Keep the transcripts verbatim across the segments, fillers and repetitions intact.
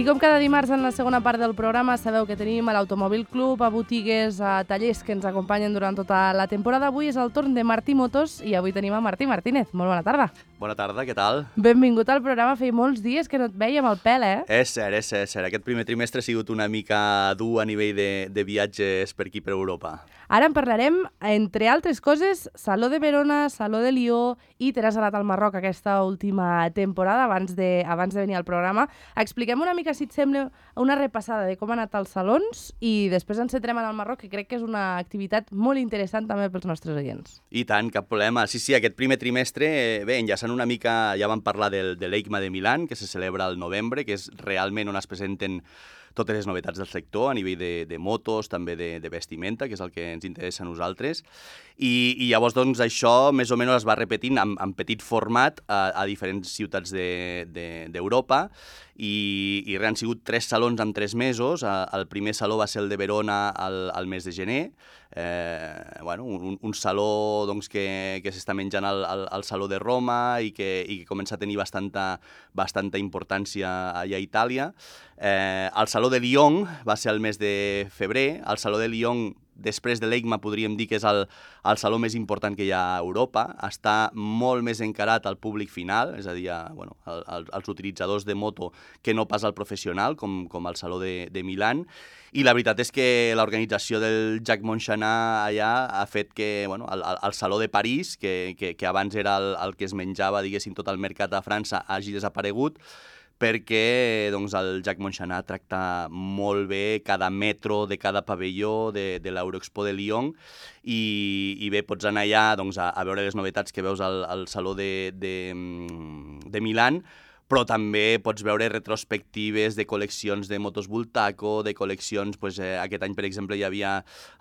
com cada dimarts en la segona part del programa sabeu que tenim a l'Automòbil Club, a botigues, a tallers que ens acompanyen durant tota la temporada. Avui és el torn de Martí Motos i avui tenim a Martí Martínez. Molt bona tarda. Bona tarda, què tal? Benvingut al programa. Feia molts dies que no et vèiem al pèl, eh? És cert, és cert, és cert. Aquest primer trimestre ha sigut una mica dur a nivell de, de viatges per aquí, per Europa. Ara en parlarem, entre altres coses, Saló de Verona, Saló de Lió i t'has anat al Marroc aquesta última temporada abans de, abans de venir al programa. Expliquem una mica, si et sembla, una repassada de com han anat els salons i després ens centrem en el Marroc, que crec que és una activitat molt interessant també pels nostres oients. I tant, cap problema. Sí, sí, aquest primer trimestre, bé, enllaçant una mica, ja vam parlar del, de l'EICMA de Milán, que se celebra al novembre, que és realment on es presenten totes les novetats del sector a nivell de, de motos, també de, de vestimenta, que és el que ens interessa a nosaltres. I, i llavors, doncs, això més o menys es va repetint en, en petit format a, a diferents ciutats d'Europa de, de, i, i han sigut tres salons en tres mesos. El primer saló va ser el de Verona al, al mes de gener, eh, bueno, un, un saló doncs, que, que s'està menjant al, al, al Saló de Roma i que, i que comença a tenir bastanta, bastanta importància allà a Itàlia. Eh, el Saló de Lyon va ser el mes de febrer. El Saló de Lyon, després de l'EICMA, podríem dir que és el, el saló més important que hi ha a Europa. Està molt més encarat al públic final, és a dir, a, bueno, al, als utilitzadors de moto que no pas al professional, com, com el Saló de, de Milán. I la veritat és que l'organització del Jacques Montchanat allà ha fet que bueno, el, el Saló de París, que, que, que abans era el, el que es menjava, diguéssim, tot el mercat a França, hagi desaparegut, perquè doncs, el Jacques Montchanat tracta molt bé cada metro de cada pavelló de, de l'Euroexpo de Lyon i, i bé, pots anar allà doncs, a, a veure les novetats que veus al, al Saló de, de, de Milán, però també pots veure retrospectives de col·leccions de motos Bultaco, de col·leccions, pues, eh, aquest any, per exemple, hi havia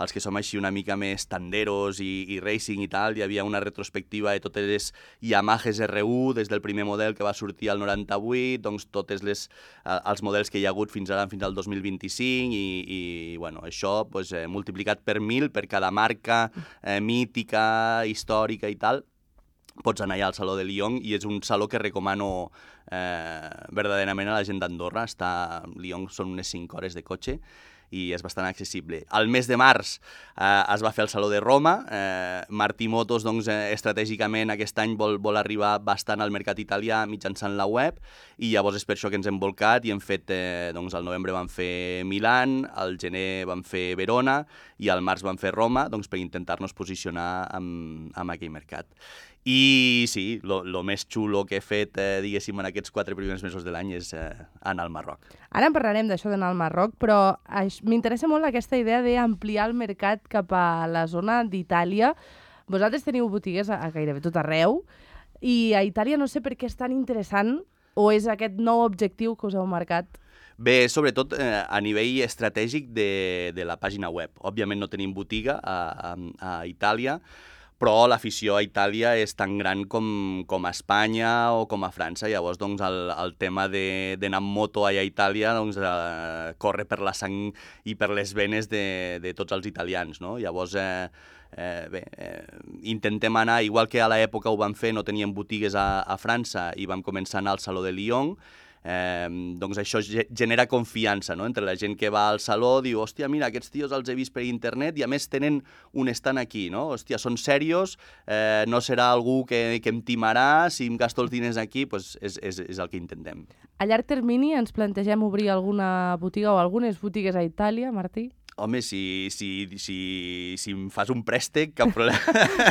els que som així una mica més tanderos i, i racing i tal, hi havia una retrospectiva de totes les Yamahas R U, des del primer model que va sortir al noranta-vuit, doncs totes les, eh, els models que hi ha hagut fins ara, fins al dos mil vint-i-cinc, i, i bueno, això pues, eh, multiplicat per mil per cada marca eh, mítica, històrica i tal. Pots anar allà al Saló de Lyon i és un saló que recomano eh, verdaderament a la gent d'Andorra. Està, Lyon són unes cinc hores de cotxe i és bastant accessible. Al mes de març eh, es va fer el Saló de Roma. Eh, Martí Motos, doncs, eh, estratègicament aquest any vol, vol arribar bastant al mercat italià mitjançant la web i llavors és per això que ens hem volcat i hem fet, eh, doncs, al novembre vam fer Milán, al gener vam fer Verona i al març vam fer Roma, doncs, per intentar-nos posicionar amb, amb aquell mercat. I sí, el més xulo que he fet, eh, diguéssim, en aquests quatre primers mesos de l'any és eh, anar al Marroc. Ara en parlarem d'això d'anar al Marroc, però m'interessa molt aquesta idea d'ampliar el mercat cap a la zona d'Itàlia. Vosaltres teniu botigues a, a gairebé tot arreu i a Itàlia no sé per què és tan interessant o és aquest nou objectiu que us heu marcat? Bé, sobretot eh, a nivell estratègic de, de la pàgina web. Òbviament no tenim botiga a, a, a Itàlia, però l'afició a Itàlia és tan gran com, com a Espanya o com a França. Llavors, doncs, el, el tema d'anar amb moto allà a Itàlia doncs, eh, corre per la sang i per les venes de, de tots els italians, no? Llavors, eh, eh, bé, eh, intentem anar, igual que a l'època ho vam fer, no teníem botigues a, a França i vam començar a anar al Saló de Lyon. Eh, doncs això genera confiança, no? Entre la gent que va al saló, diu, hòstia, mira, aquests tios els he vist per internet i a més tenen un stand aquí, no? Hòstia, són serios, eh, no serà algú que, que em timarà, si em gasto els diners aquí, doncs és, és, és el que intentem. A llarg termini ens plantegem obrir alguna botiga o algunes botigues a Itàlia, Martí? Home, si, si, si, si em fas un préstec, cap problema.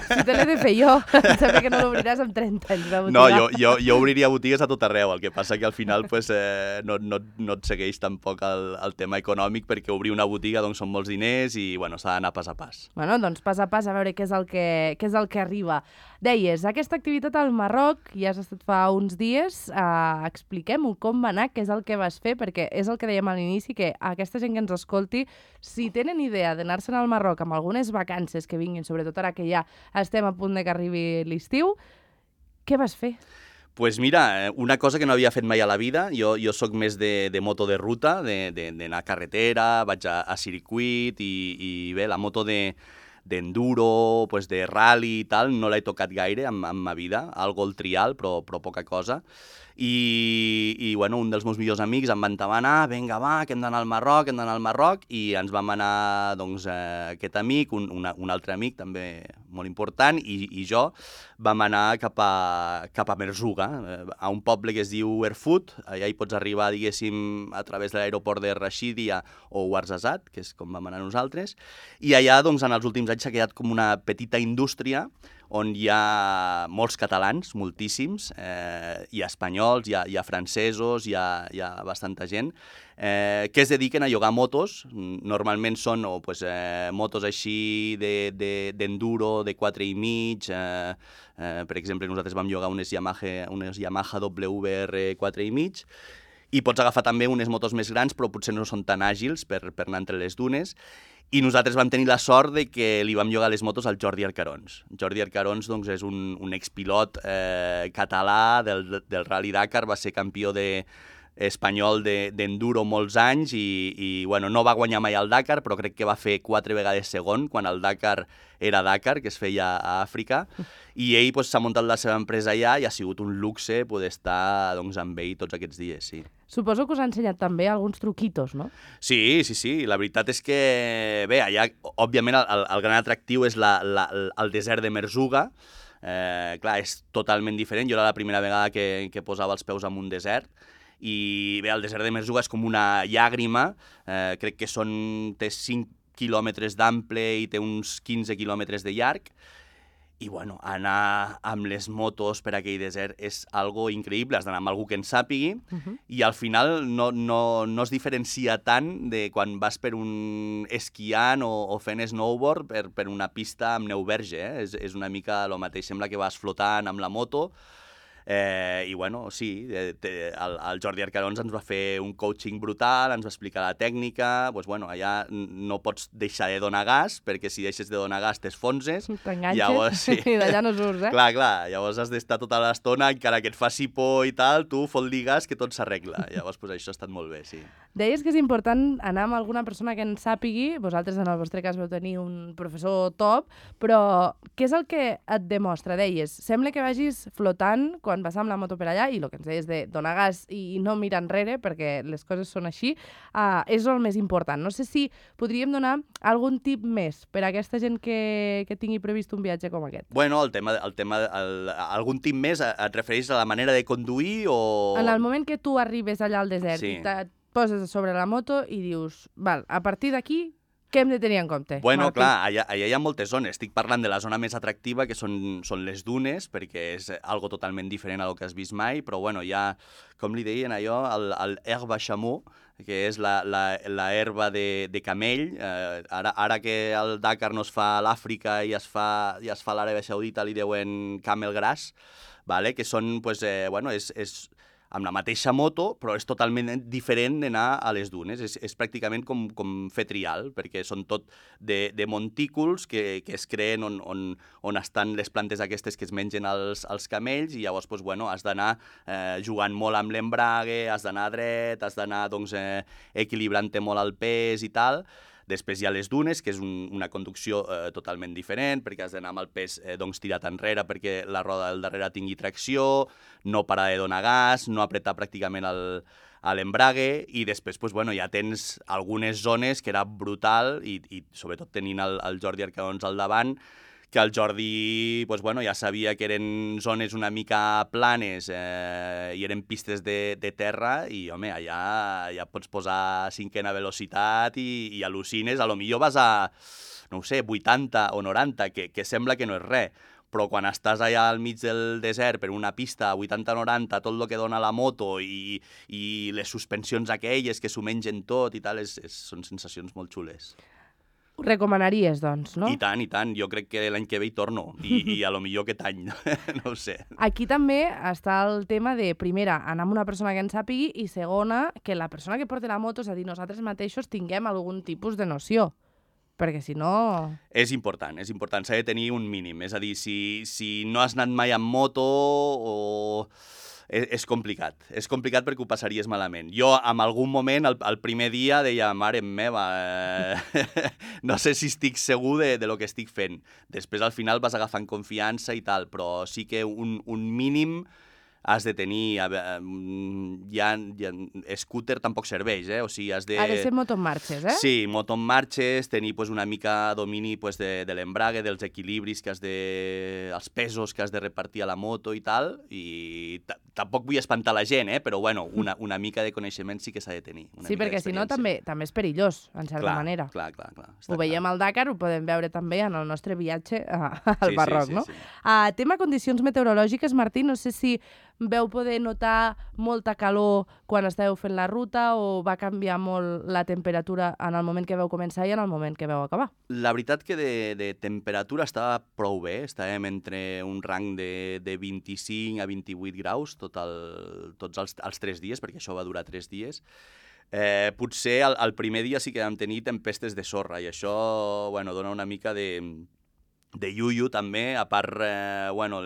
Si te l'he de fer jo, em sembla que no l'obriràs amb trenta anys, la botiga. No, jo, jo, jo obriria botigues a tot arreu, el que passa que al final pues, eh, no, no, no et segueix tampoc el, el tema econòmic, perquè obrir una botiga doncs, són molts diners i bueno, s'ha d'anar pas a pas. Bueno, doncs pas a pas a veure què és el que, què és el que arriba. Deies, aquesta activitat al Marroc, ja has estat fa uns dies, eh, expliquem-ho, com va anar, què és el que vas fer, perquè és el que dèiem a l'inici, que aquesta gent que ens escolti, si tenen idea d'anar-se'n al Marroc amb algunes vacances que vinguin, sobretot ara que ja estem a punt de que arribi l'estiu, què vas fer? Pues mira, una cosa que no havia fet mai a la vida, jo, jo sóc més de, de moto de ruta, d'anar a carretera, vaig a, a circuit i, i bé, la moto de d'enduro, pues de rally i tal, no l'he tocat gaire en, en ma vida, algo el trial, però, però poca cosa. I, i bueno, un dels meus millors amics em va entabanar, vinga, va, que hem d'anar al Marroc, hem d'anar al Marroc, i ens vam anar, doncs, eh, aquest amic, un, una, un altre amic també molt important, i, i jo vam anar cap a, cap a Merzouga, eh, a un poble que es diu Erfoud. Allà hi pots arribar, diguéssim, a través de l'aeroport de Rashidia o Ouarzazate, que és com vam anar nosaltres, i allà, doncs, en els últims anys s'ha quedat com una petita indústria on hi ha molts catalans, moltíssims, eh, hi ha espanyols, hi ha, hi ha francesos, hi ha, hi ha bastanta gent, eh, que es dediquen a llogar motos. Normalment són o, pues, eh, motos així d'enduro, de, de, de quatre i mig, eh, eh, per exemple, nosaltres vam llogar unes Yamaha, unes Yamaha W R quatre i mig, i pots agafar també unes motos més grans, però potser no són tan àgils per, per anar entre les dunes. I nosaltres vam tenir la sort de que li vam llogar les motos al Jordi Arcarons. Jordi Arcarons, doncs, és un, un expilot eh, català del, del Rally Dakar, va ser campió de, espanyol d'enduro de, molts anys i, i bueno, no va guanyar mai al Dakar, però crec que va fer quatre vegades segon quan el Dakar era Dakar, que es feia a Àfrica, i ell s'ha pues, muntat la seva empresa allà i ha sigut un luxe poder estar doncs, amb ell tots aquests dies, sí. Suposo que us ha ensenyat també alguns truquitos, no? Sí, sí, sí. La veritat és que, bé, allà, òbviament, el, el gran atractiu és la, la, el desert de Merzouga. Eh, clar, és totalment diferent. Jo era la primera vegada que, que posava els peus en un desert. I bé, el desert de Merzouga és com una llàgrima. Eh, crec que són, té cinc quilòmetres d'ample i té uns quinze quilòmetres de llarg. I, bueno, anar amb les motos per aquell desert és algo increïble. Has d'anar amb algú que en sàpigui, uh-huh. i al final no, no, no es diferencia tant de quan vas per un esquiant o, o fent snowboard per, per una pista amb neu verge. Eh? És, és una mica el mateix. Sembla que vas flotant amb la moto. Eh, I, bueno, sí, eh, el, el Jordi Arcarons ens va fer un coaching brutal, ens va explicar la tècnica. Pues, bueno, allà no pots deixar de donar gas, perquè si deixes de donar gas t'esfonses. T'enganxes sí. i d'allà no surts, eh? Clar, clar, llavors has d'estar tota l'estona, encara que et faci por i tal, tu fot-li gas que tot s'arregla. Llavors, pues, això ha estat molt bé, sí. Deies que és important anar amb alguna persona que en sàpigui. Vosaltres, en el vostre cas, vau tenir un professor top, però què és el que et demostra? Deies, sembla que vagis flotant quan vas amb la moto per allà, i el que ens deies de donar gas i no mirar enrere, perquè les coses són així, uh, és el més important. No sé si podríem donar algun tip més per a aquesta gent que, que tingui previst un viatge com aquest. Bueno, el tema, el tema el, algun tip més et refereix a la manera de conduir o... En el moment que tu arribes allà al desert sí. i et poses sobre la moto i dius, val, a partir d'aquí, què hem de tenir en compte? Bueno, Martí? Clar, allà, allà hi ha moltes zones. Estic parlant de la zona més atractiva, que són, són les dunes, perquè és algo totalment diferent a lo que has vist mai, però bueno, hi ha, com li deien allò, el, el herba chameau, que és la, la, la herba de, de camell. Eh, ara, ara que el Dakar no es fa a l'Àfrica i es fa, i es fa a l'Aràbia Saudita, li deuen camel grass, vale? Que són, pues, eh, bueno, és... és amb la mateixa moto, però és totalment diferent d'anar a les dunes. És, és pràcticament com, com fer trial, perquè són tot de, de montículs que, que es creen on, on, on estan les plantes aquestes que es mengen els, els camells, i llavors pues, bueno, has d'anar eh, jugant molt amb l'embrague, has d'anar dret, has d'anar doncs, eh, equilibrant-te molt el pes i tal. Després hi ha les dunes, que és un, una conducció eh, totalment diferent, perquè has d'anar amb el pes eh, doncs, tirat enrere perquè la roda del darrere tingui tracció, no parar de donar gas, no apretar pràcticament el, a l'embrague, i després pues, bueno, ja tens algunes zones que era brutal, i, i sobretot tenint el, el Jordi Arcarons al davant, que el Jordi pues, bueno, ja sabia que eren zones una mica planes eh, i eren pistes de, de terra, i home, allà ja pots posar cinquena velocitat i, i al·lucines, a lo millor vas a, no ho sé, vuitanta o noranta, que, que sembla que no és res, però quan estàs allà al mig del desert per una pista a vuitanta noranta, tot el que dona la moto i, i les suspensions aquelles que s'ho mengen tot i tal, és, és, són sensacions molt xules. Ho recomanaries, doncs, no? I tant, i tant. Jo crec que l'any que ve hi torno. I, i a lo millor aquest any, no ho sé. Aquí també està el tema de, primera, anar amb una persona que en sàpigui, i segona, que la persona que porta la moto, és a dir, nosaltres mateixos tinguem algun tipus de noció. Perquè si no... És important, és important. S'ha de tenir un mínim. És a dir, si, si no has anat mai amb moto o... És, és complicat, és complicat perquè ho passaries malament. Jo, en algun moment, el, el primer dia, deia, mare meva, eh, no sé si estic segur de, de lo que estic fent. Després, al final, vas agafant confiança i tal, però sí que un, un mínim has de tenir... Ja, ja, scooter tampoc serveix, eh? O sigui, has de... Ha de ser moto en marxes, eh? Sí, moto en marxes, tenir pues, una mica domini pues, de, de l'embrague, dels equilibris que has de... els pesos que has de repartir a la moto i tal, i tampoc vull espantar la gent, eh? Però bueno, una, una mica de coneixement sí que s'ha de tenir. Una sí, perquè si no també, també és perillós, en certa clar, manera. Clar, clar, clar. Ho veiem clar. al Dakar, ho podem veure també en el nostre viatge a, al sí, Marroc, sí, sí, no? Sí. Uh, tema condicions meteorològiques, Martí, no sé si veu poder notar molta calor quan estàveu fent la ruta o va canviar molt la temperatura en el moment que vau començar i en el moment que vau acabar? La veritat que de, de temperatura estava prou bé, estàvem entre un rang de, de vint-i-cinc a vint-i-vuit graus tot el, tots els, els tres dies, perquè això va durar tres dies. Eh, potser el, el primer dia sí que vam tenir tempestes de sorra i això bueno, dona una mica de... de iuiu també, a part, eh, bueno,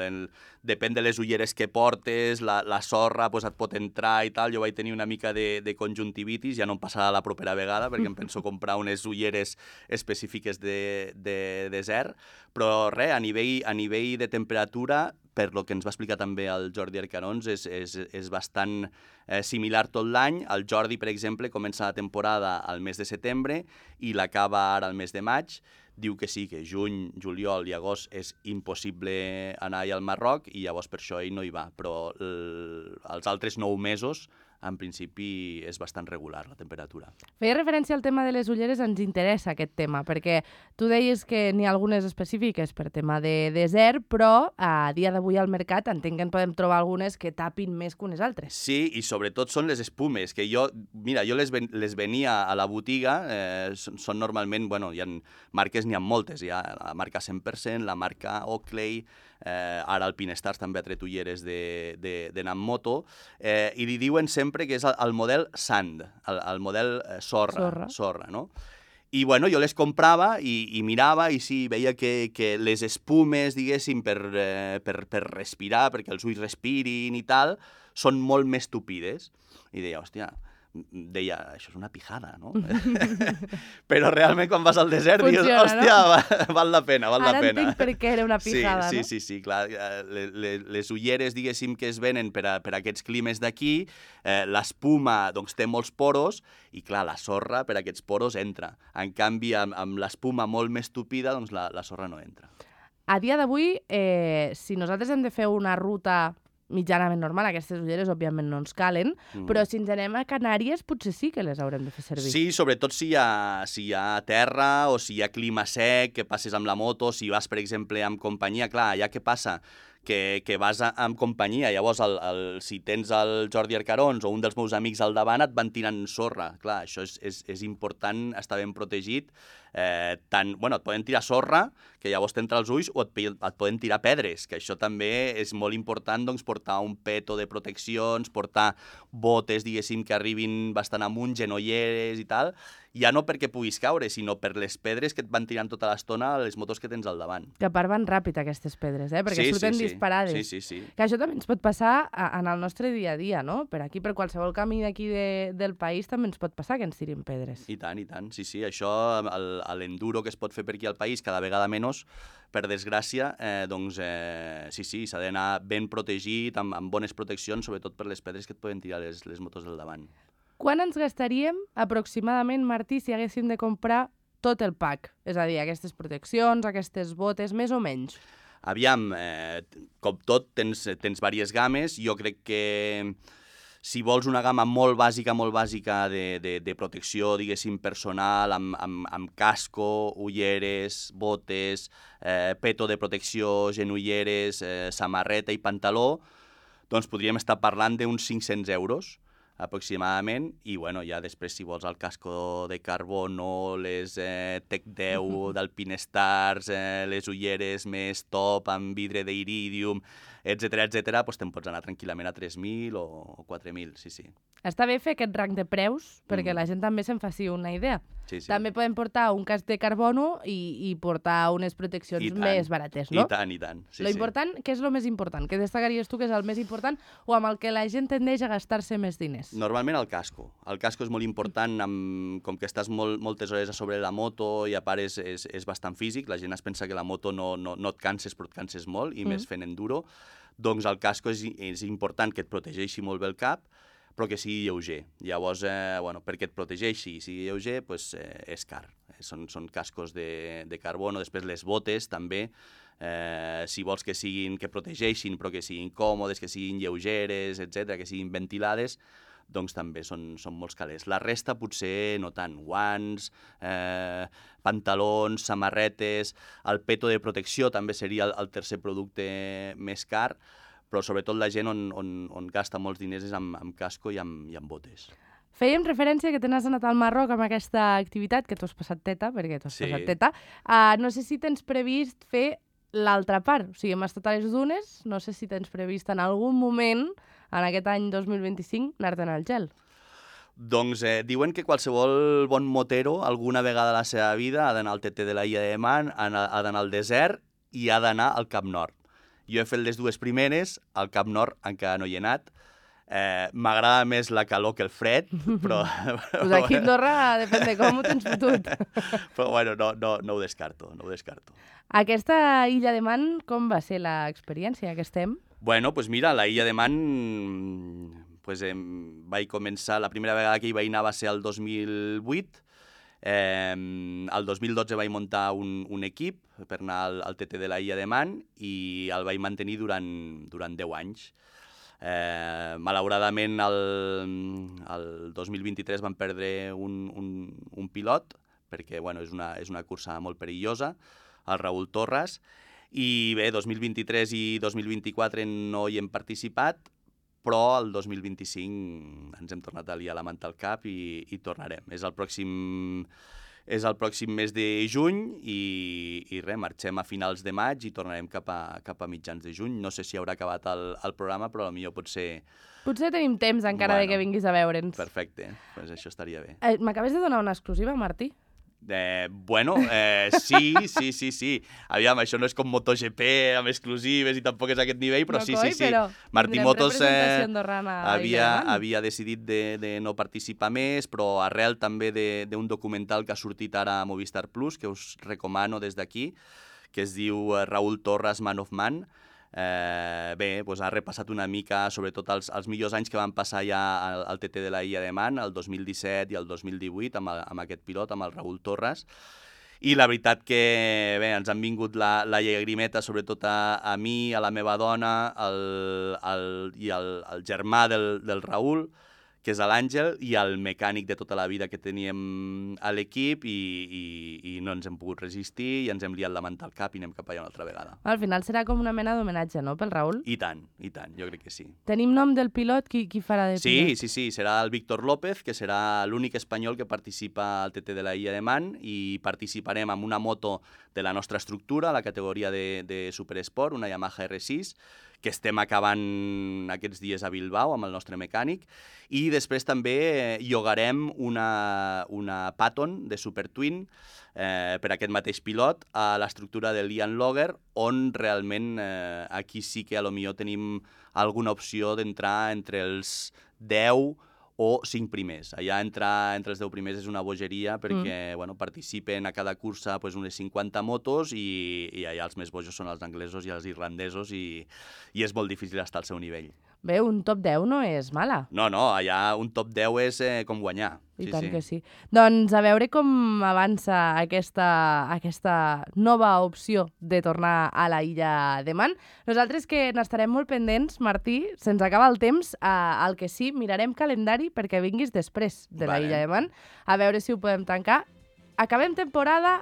depèn de les ulleres que portes, la, la sorra pues, et pot entrar i tal, jo vaig tenir una mica de, de conjuntivitis, ja no em passarà la propera vegada perquè em penso comprar unes ulleres específiques de, de desert, però res, a nivell, a nivell de temperatura, per lo que ens va explicar també el Jordi Arcarons, és, és, és bastant eh, similar tot l'any. El Jordi, per exemple, comença la temporada al mes de setembre i l'acaba ara al mes de maig. Diu que sí, que juny, juliol i agost és impossible anar al Marroc i llavors per això ell no hi va. Però el, els altres nou mesos, en principi, és bastant regular la temperatura. Feia referència al tema de les ulleres, ens interessa aquest tema, perquè tu deies que n'hi ha algunes específiques per tema de desert, però a dia d'avui al mercat entenc que en podem trobar algunes que tapin més que unes altres. Sí, i sobretot són les espumes, que jo, mira, jo les, ven, les venia a la botiga, eh, són, són normalment, bueno, hi ha marques, n'hi ha moltes, hi ha la marca cent per cent, la marca Oakley, eh, ara Alpinestars també ha tret ulleres d'anar amb moto, eh, i li diuen sempre que és el, el model sand, el, el model eh, sorra, sorra, sorra, no? I bueno, jo les comprava i, i mirava i sí, veia que, que les espumes, diguéssim, per, eh, per, per respirar, perquè els ulls respirin i tal, són molt més tupides. I deia, hòstia, deia, això és una pijada, no? Però realment quan vas al desert funciona, dius, hòstia, no? va, val la pena, val Ara la pena. Ara entenc per què era una pijada, sí, no? Sí, sí, sí, clar. Les, les, les ulleres, diguéssim, que es venen per a, per a aquests climes d'aquí, eh, l'espuma, doncs, té molts poros i, clar, la sorra per a aquests poros entra. En canvi, amb, amb l'espuma molt més tupida, doncs la, la sorra no entra. A dia d'avui, eh, si nosaltres hem de fer una ruta mitjanament normal, aquestes ulleres òbviament no ens calen, mm. però si ens anem a Canàries potser sí que les haurem de fer servir. Sí, sobretot si hi ha, si hi ha terra o si hi ha clima sec, que passes amb la moto, si vas, per exemple, amb companyia, clar, allà què passa? Que, que vas a, amb companyia, llavors el, el, si tens el Jordi Arcarons o un dels meus amics al davant et van tirant sorra. Clar, això és, és, és important estar ben protegit. Eh, tant, bueno, et poden tirar sorra, que llavors t'entra als ulls, o et, et poden tirar pedres, que això també és molt important, doncs, portar un peto de proteccions, portar botes, diguéssim, que arribin bastant amunt, genolleres i tal, ja no perquè puguis caure, sinó per les pedres que et van tirant tota l'estona a les motos que tens al davant. Que a part van ràpid aquestes pedres, eh? Perquè sí, surten sí, sí. disparades. Sí, sí, sí. Que això també ens pot passar a, en el nostre dia a dia, no? Per aquí, per qualsevol camí d'aquí de, del país també ens pot passar que ens tirin pedres. I tant, i tant. Sí, sí, això, l'enduro que es pot fer per aquí al país, cada vegada menys, per desgràcia, eh, doncs eh, sí, sí, s'ha d'anar ben protegit, amb, amb bones proteccions, sobretot per les pedres que et poden tirar les, les motos del davant. Quan ens gastaríem aproximadament, Martí, si haguéssim de comprar tot el pack? És a dir, aquestes proteccions, aquestes botes, més o menys? Aviam, eh, com tot, tens, tens diverses games. Jo crec que si vols una gamma molt bàsica, molt bàsica de, de, de protecció, diguéssim, personal, amb, amb, amb casco, ulleres, botes, eh, peto de protecció, genolleres, eh, samarreta i pantaló, doncs podríem estar parlant d'uns cinc-cents euros aproximadament, i bueno, ja després si vols el casco de carbono, les eh, Tec deu d'Alpinestars, eh, les ulleres més top amb vidre d'iridium, etcètera, etcètera, doncs te'n pots anar tranquil·lament a tres mil o quatre mil, sí, sí. Està bé fer aquest rang de preus, perquè Mm. la gent també se'n faci una idea. Sí, sí. També podem portar un casc de carbono i, i portar unes proteccions I tant, més barates, no? I tant, i tant. Sí, lo sí. important, què és el més important? Què destacaries tu que és el més important o amb el que la gent tendeix a gastar-se més diners? Normalment el casco. El casco és molt important, amb, com que estàs molt, moltes hores a sobre la moto i a part és, és, és bastant físic, la gent es pensa que la moto no, no, no et canses, però et canses molt, i mm. més fent enduro. doncs el casco és, és important que et protegeixi molt bé el cap, però que sigui lleuger. Llavors, eh, bueno, perquè et protegeixi i sigui lleuger, pues, eh, és car. Són, són cascos de, de carbono. Després les botes, també, eh, si vols que siguin, que protegeixin, però que siguin còmodes, que siguin lleugeres, etcètera, que siguin ventilades, doncs també són, són molts calés. La resta potser no tant. Guants, eh, pantalons, samarretes, el peto de protecció també seria el, el tercer producte més car, però sobretot la gent on, on, on gasta molts diners és amb, amb casco i amb, i amb botes. Fèiem referència que te n'has anat al Marroc amb aquesta activitat, que tu has passat teta, perquè tu has Sí. passat teta. Uh, no sé si tens previst fer l'altra part. O sigui, hem estat a les dunes, no sé si tens previst en algun moment, en aquest any dos mil vint-i-cinc, anar-te'n al gel. Doncs eh, diuen que qualsevol bon motero alguna vegada a la seva vida ha d'anar al T T de la Illa de Man, ha d'anar al desert i ha d'anar al Cap Nord. Jo he fet les dues primeres, al Cap Nord encara no hi he anat. Eh, M'agrada més la calor que el fred, però... Pues aquí a Andorra depèn de com ho tens fotut. Però bueno, no, no, no ho descarto, no ho descarto. Aquesta Illa de Man, com va ser l'experiència que estem? Bueno, pues mira, la Illa de Man, pues, eh, vaig començar, la primera vegada que hi vaig anar va ser el dos mil vuit. Eh, el dos mil dotze vaig muntar un, un equip per anar al, al T T de la Illa de Man i el vaig mantenir durant, durant deu anys. Eh, malauradament, el, el dos mil vint-i-tres vam perdre un, un, un pilot, perquè bueno, és, una, és una cursa molt perillosa, el Raül Torres, i bé, dos mil vint-i-tres i dos mil vint-i-quatre no hi hem participat, però el dos mil vint-i-cinc ens hem tornat a liar la manta al cap i, i tornarem. És el pròxim... És el pròxim mes de juny i, i res, marxem a finals de maig i tornarem cap a, cap a mitjans de juny. No sé si haurà acabat el, el programa, però potser potser... Potser tenim temps encara Bueno, de que vinguis a veure'ns. Perfecte, doncs això estaria bé. Eh, M'acabes de donar una exclusiva, Martí? Eh, bueno, eh, sí, sí, sí, sí. Aviam, això no és com MotoGP amb exclusives i tampoc és aquest nivell, però No, sí, coi, sí, sí. però Martí tindrem Motos eh, representació andorrana a havia, Illa de Man. havia decidit de, de no participar més, però arrel també de- d'un documental que ha sortit ara a Movistar Plus, que us recomano des d'aquí, que es diu eh, Raül Torres, Man of Man. Eh, bé, doncs ha repassat una mica, sobretot els, els millors anys que van passar ja al, al T T de la Illa de Man, el dos mil disset i el dos mil divuit, amb, el, amb aquest pilot, amb el Raül Torres. I la veritat que bé, ens han vingut la, la llagrimeta, sobretot a, a mi, a la meva dona, el, el, i el, el germà del, del Raül, que és l'Àngel, i el mecànic de tota la vida que teníem a l'equip, i, i, i no ens hem pogut resistir, i ens hem liat la manta al cap i anem cap allà una altra vegada. Al final serà com una mena d'homenatge, no?, pel Raül. I tant, i tant, jo crec que sí. Tenim nom del pilot? Qui, qui farà de Sí, pilot? sí, sí, serà el Víctor López, que serà l'únic espanyol que participa al T T de la Illa de Man, i participarem amb una moto de la nostra estructura, la categoria de, de Supersport, una Yamaha R sis, que estem acabant aquests dies a Bilbao amb el nostre mecànic, i després també llogarem una, una Patton de Super Twin eh, per aquest mateix pilot a l'estructura de Lian Logger, on realment eh, aquí sí que a lo millor tenim alguna opció d'entrar entre els deu o cinc primers. Allà entrar entre els deu primers és una bogeria perquè mm. bueno, participen a cada cursa pues, unes cinquanta motos i, i allà els més bojos són els anglesos i els irlandesos i, i és molt difícil estar al seu nivell. Bé, un top deu no és mala. No, no, allà un top deu és eh, com guanyar. I sí, tant sí. que sí. Doncs a veure com avança aquesta, aquesta nova opció de tornar a la Illa de Man. Nosaltres que n'estarem molt pendents, Martí, se'ns acaba el temps, eh, el que sí, mirarem calendari perquè vinguis després de la Vale. Illa de Man, a veure si ho podem tancar. Acabem temporada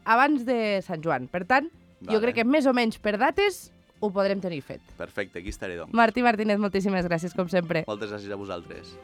abans de Sant Joan, per tant, jo Vale. crec que més o menys per dates ho podrem tenir fet. Perfecte, aquí estaré, doncs. Martí Martínez, moltíssimes gràcies, com sempre. Moltes gràcies a vosaltres.